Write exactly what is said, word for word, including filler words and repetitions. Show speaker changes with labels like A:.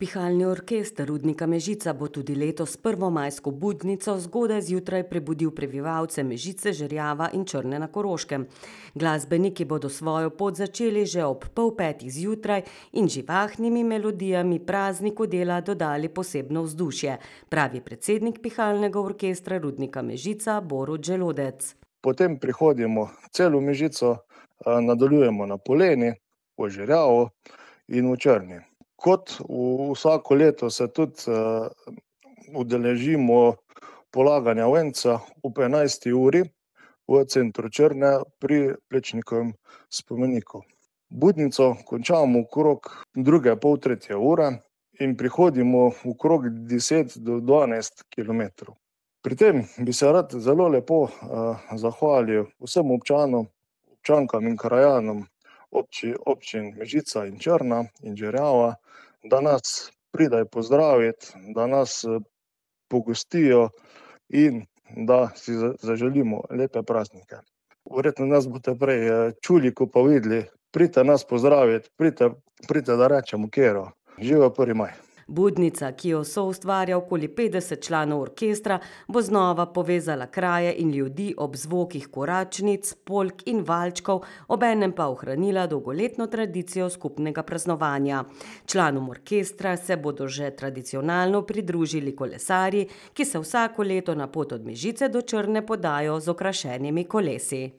A: Pihalni orkester Rudnika Mežica bo tudi letos prvomajsko budnico zgodaj zjutraj prebudil prebivalce Mežice, Žerjava in Črne na Koroškem. Glasbeniki bodo svojo pot začeli že ob pol petih zjutraj in živahnimi melodijami prazniku dela dodali posebno vzdušje, pravi predsednik Pihalnega orkestra Rudnika Mežica Borut Želodec.
B: Potem prihodimo celo Mežico, nadaljujemo na Poleni, v Žerjavu in v Črni. Kot vsako leto se tudi udeležimo polaganja venca ob enajsti uri v centru Črne pri Plečnikovem spomeniku. Budnico končamo okrog druge, pol tretje ure in prihodimo okrog deset do dvanajst kilometrov. Pri tem bi se rad zelo lepo zahvalil vsem občanom, občankam in krajanom občin Mežica in Črna in Žerjava, da nas pridejo pozdraviti, da nas pogostijo in da si zaželimo lepe praznike. Verjetno nas boste prej čuli, ko pa videli, pridite nas pozdraviti, pridite, pridite, da rečemo kero. Živel prvi maj.
A: Budnica, ki jo soustvarja okoli petdeset članov orkestra, bo znova povezala kraje in ljudi ob zvokih koračnic, polk in valčkov, obenem pa ohranila dolgoletno tradicijo skupnega praznovanja. Članom orkestra se bodo že tradicionalno pridružili kolesarji, ki se vsako leto na pot od Mežice do Črne podajo z okrašenimi kolesi.